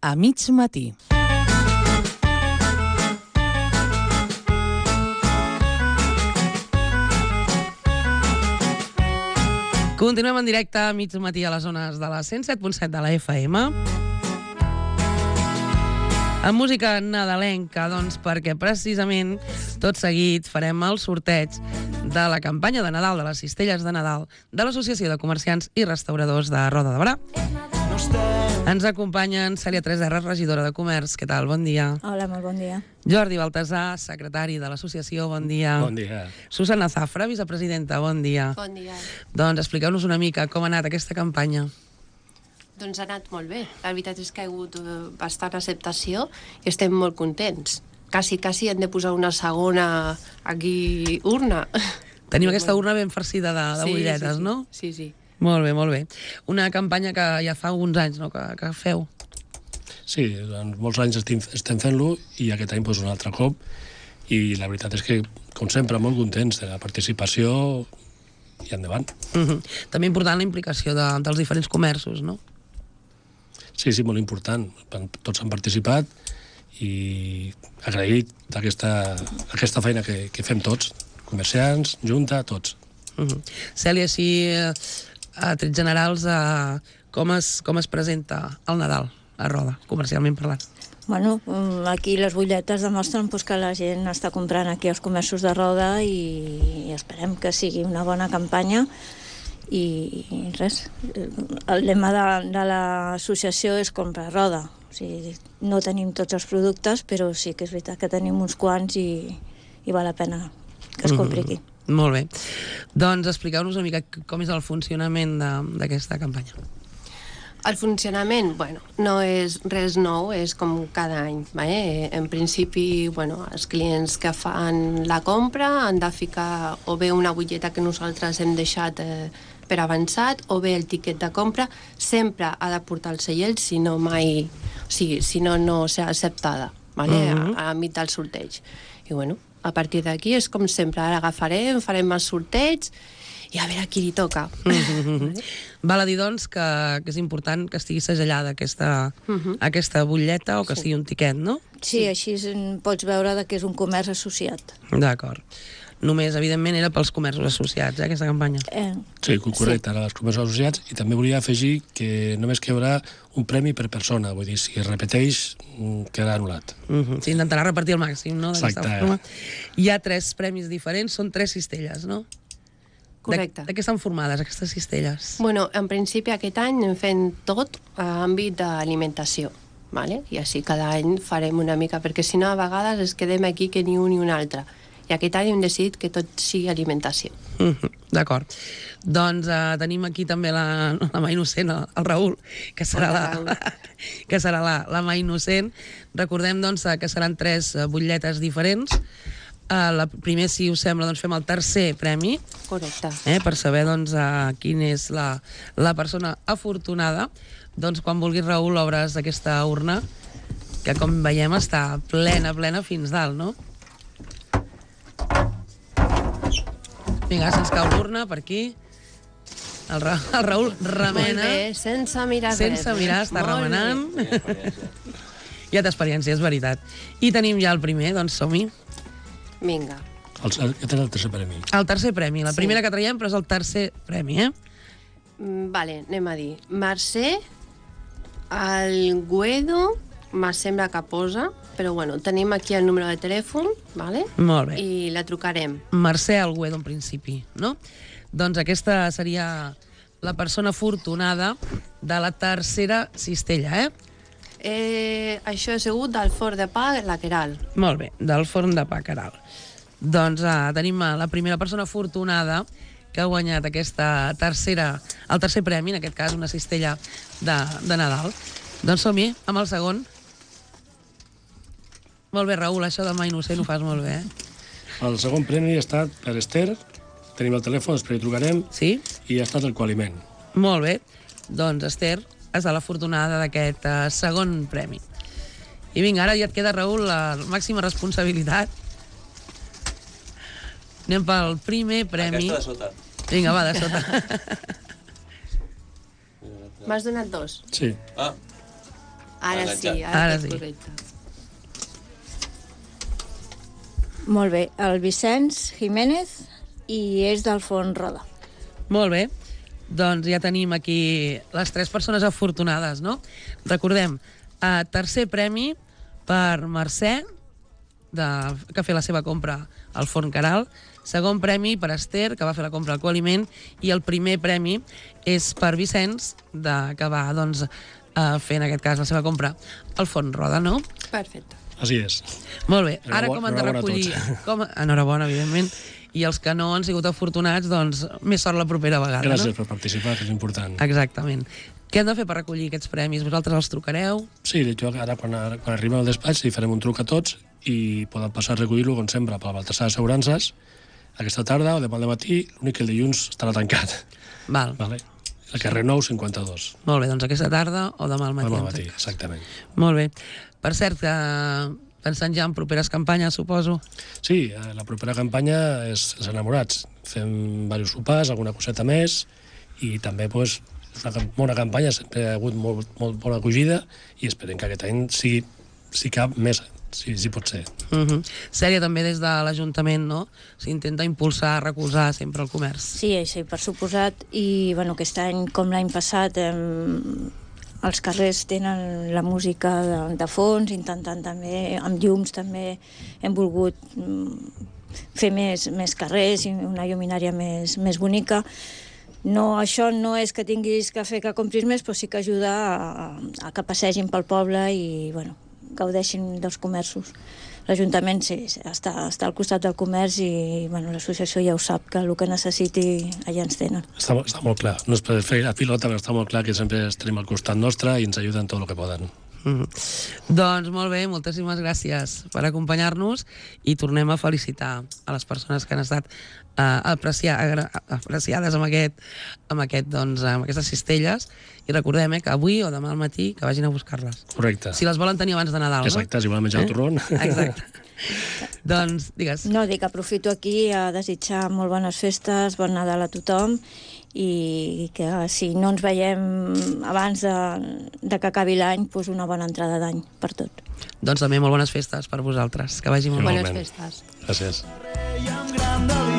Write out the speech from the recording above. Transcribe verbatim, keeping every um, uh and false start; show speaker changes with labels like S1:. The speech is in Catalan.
S1: A mig matí. Continuem en directe a mig matí a les zones de la cent set punt set de la F M. Amb música nadalenca, doncs, perquè precisament tot seguit farem el sorteig de la campanya de Nadal, de les cistelles de Nadal, de l'Associació de Comerciants i Restauradors de Roda de Berà. Ens acompanyen Cèlia tres erra, regidora de Comerç. Què tal? Bon dia.
S2: Hola, molt bon dia.
S1: Jordi Baltasar, secretari de l'associació. Bon dia.
S3: Bon dia.
S1: Susana Zafra, vicepresidenta. Bon dia.
S4: Bon dia.
S1: Doncs expliqueu-nos una mica com ha anat aquesta campanya.
S4: Doncs ha anat molt bé. La veritat és que ha hagut bastant acceptació i estem molt contents. Quasi, quasi hem de posar una segona aquí urna.
S1: Tenim aquesta urna ben farcida de, de
S4: sí,
S1: butlletes,
S4: sí, sí.
S1: no?
S4: Sí, sí.
S1: Molt bé, molt bé. Una campanya que ja fa alguns anys, no?, que, que feu.
S3: Sí, en molts anys estem, estem fent-lo i aquest any pues, un altre cop. I la veritat és que, com sempre, molt contents de la participació i endavant.
S1: Uh-huh. També important la implicació de, dels diferents comerços, no?
S3: Sí, sí, molt important. Tots han participat i agraït aquesta, aquesta feina que, que fem tots, comerciants, junta, tots.
S1: Uh-huh. Cèlia, si a trets generals, a, com, es, com es presenta el Nadal a Roda, comercialment parlant?
S2: Bueno, aquí les butlletes demostren pues, que la gent està comprant aquí als comerços de Roda i, i esperem que sigui una bona campanya. I, i res, el lema de, de l'associació és compra a Roda. O sigui, no tenim tots els productes, però sí que és veritat que tenim uns quants i, i val la pena que es compri aquí.
S1: Mm-hmm. Molt bé. Doncs expliqueu-nos una mica com és el funcionament d'aquesta campanya.
S4: El funcionament, bueno, no és res nou, és com cada any. Eh? En principi, bueno, els clients que fan la compra han de ficar o bé una butlleta que nosaltres hem deixat eh, per avançat, o bé el tiquet de compra. Sempre ha de portar el seient, si no mai... O sigui, si no, no serà acceptada, vale?
S1: Mm-hmm.
S4: a, a l'àmbit del sorteig. I bueno, a partir d'aquí és com sempre, ara agafarem, farem el sorteig i a veure a qui li toca.
S1: Mm-hmm. Val a dir, doncs, que, que és important que estigui segellada aquesta, mm-hmm. aquesta butlleta o que sí. sigui un tiquet, no?
S2: Sí, sí, així pots veure que és un comerç associat.
S1: D'acord. Només, evidentment, era pels comerços associats, eh, aquesta campanya.
S2: Eh,
S3: sí, correcte, sí. Ara els comerços associats, i també volia afegir que només que hi haurà un premi per persona, vull dir, si es repeteix, quedarà anul·lat.
S1: Uh-huh. S'intentarà repartir el màxim, no?
S3: Exacte.
S1: Hi ha tres premis diferents, són tres cistelles, no?
S4: Correcte.
S1: De, de què estan formades, aquestes cistelles?
S4: Bueno, en principi aquest any hem fet tot a àmbit d'alimentació, vale? I així cada any farem una mica, perquè si no a vegades es quedem aquí que ni un ni un altre. I aquest any hem decidit que tot sigui alimentació.
S1: Uh-huh. D'acord. Doncs uh, tenim aquí també la, la mà innocent, el, el Raül, que serà, la, que serà la, la mà innocent. Recordem, doncs, que seran tres butlletes diferents. Uh, la, primer, si us sembla, doncs fem el tercer premi.
S4: Correcte.
S1: Eh, per saber, doncs, uh, quina és la, la persona afortunada. Doncs, quan vulguis, Raül, obres aquesta urna, que, com veiem, està plena, plena fins dalt, no? Vinga, se'ns cau l'urna per aquí. El, Ra el Raül remena.
S4: Molt bé, sense mirar
S1: sense
S4: res.
S1: mirar, està
S4: Molt
S1: remenant. Ja té experiència, és veritat. I tenim ja el primer, doncs som-hi.
S4: Vinga.
S3: El, aquest és el tercer premi.
S1: El tercer premi, la
S4: Sí.
S1: primera que traiem, però és el tercer premi, eh?
S4: Mm, Vale, anem a dir. Mercè, el Guedo, me sembla que posa, però bueno, tenim aquí el número de telèfon, vale?
S1: Molt bé.
S4: I la trucarem.
S1: Mercè Alguedo, en principi, no? Doncs aquesta seria la persona afortunada de la tercera cistella, eh?
S4: Eh, això ha sigut del forn de pa, la Queral.
S1: Molt bé, del forn de pa Caral. Doncs uh, tenim uh, la primera persona afortunada que ha guanyat aquesta tercera, el tercer premi, en aquest cas una cistella de, de Nadal. Doncs som-hi, amb el segon. Molt bé, Raül, això de mà innocent ho fas molt bé, eh?
S3: El segon premi ha estat per Esther, tenim el telèfon, després hi trucarem,
S1: Sí?
S3: i ha estat el coaliment.
S1: Molt bé. Doncs, Esther, és l'afortunada d'aquest uh, segon premi. I vinga, ara ja et queda, Raül, la màxima responsabilitat. Anem pel primer premi.
S5: Aquesta de sota.
S1: Vinga, va, de sota.
S4: M'has donat dos.
S3: Sí.
S5: Ah,
S4: Ara sí,
S1: Ara
S4: ara, ara
S1: sí.
S4: sí. Correcte.
S2: Molt bé, el Vicenç Jiménez i és del Font Roda.
S1: Molt bé. Doncs ja tenim aquí les tres persones afortunades, no? Recordem, eh, tercer premi per Mercè, de, que ha fet la seva compra al Forn Caral, segon premi per Esther, que va fer la compra al Coaliment, i el primer premi és per Vicenç, de, que va doncs, eh, fer en aquest cas la seva compra al Forn Roda, no?
S4: Perfecte.
S3: Així és.
S1: Molt bé, ara
S3: Enhorabona-
S1: com han de
S3: enhorabona a
S1: recollir...
S3: tots.
S1: Com... Enhorabona, evidentment. I els que no han sigut afortunats, doncs, més sort la propera vegada,
S3: Gràcies
S1: no?
S3: per participar, que és important.
S1: Exactament. Què han de fer per recollir aquests premis? Vosaltres els trucareu?
S3: Sí, jo ara quan, quan arribem al despatx li farem un truc a tots i poden passar a recollir-lo, com sempre, per la Baltasar Assegurances, aquesta tarda o demà al matí, l'únic que el dilluns estarà tancat.
S1: Val.
S3: Vale? El carrer nou cinquanta-dos.
S1: Molt bé, doncs aquesta tarda o demà al matí.
S3: Demà al
S1: en tot
S3: matí,
S1: cas.
S3: exactament.
S1: Molt bé. Per cert, que pensant ja en properes campanyes, suposo.
S3: Sí, eh, la propera campanya és els enamorats. Fem diversos sopars, alguna coseta més, i també pues, és una cam- bona campanya, sempre ha hagut molt, molt bona acogida, i esperem que aquest any sigui, si cap, més, si, si pot ser.
S1: Uh -huh. Sèria també des de l'Ajuntament, no? S'intenta impulsar, recolzar sempre el comerç.
S2: Sí, sí, per suposat. I bueno, aquest any, com l'any passat, eh, els carrers tenen la música de, de fons, intentant també, amb llums també hem volgut mm, fer més, més carrers i una lluminària més, més bonica. No, això no és que tinguis que fer que compris més, però sí que ajuda a, a que passegin pel poble i bueno, gaudeixin dels comerços. L'Ajuntament sí, està, està al costat del comerç i bueno, l'associació ja ho sap, que el que necessiti allà ens tenen.
S3: Està, mo- està molt clar. No és per fer la pilota, però està molt clar que sempre els tenim al costat nostre i ens ajuden tot el que poden.
S1: Mm. Doncs molt bé, moltíssimes gràcies per acompanyar-nos i tornem a felicitar a les persones que han estat uh, aprecia, agra, apreciades amb, aquest, amb, aquest, doncs, amb aquestes cistelles i recordem eh, que avui o demà al matí que vagin a buscar-les.
S3: Correcte.
S1: Si les volen tenir abans de Nadal,
S3: Exacte, si volen menjar
S1: Eh?
S3: el torrón.
S1: Exacte. Doncs, digues.
S2: No, dic, aprofito aquí a desitjar molt bones festes, bon Nadal a tothom i que si no ens veiem abans de, de que acabi l'any, doncs una bona entrada d'any per tot.
S1: Doncs també molt bones festes per vosaltres. Que vagi molt bé.
S4: Bones
S3: Igualment.
S4: festes.
S3: Gràcies.
S5: I amb gran delit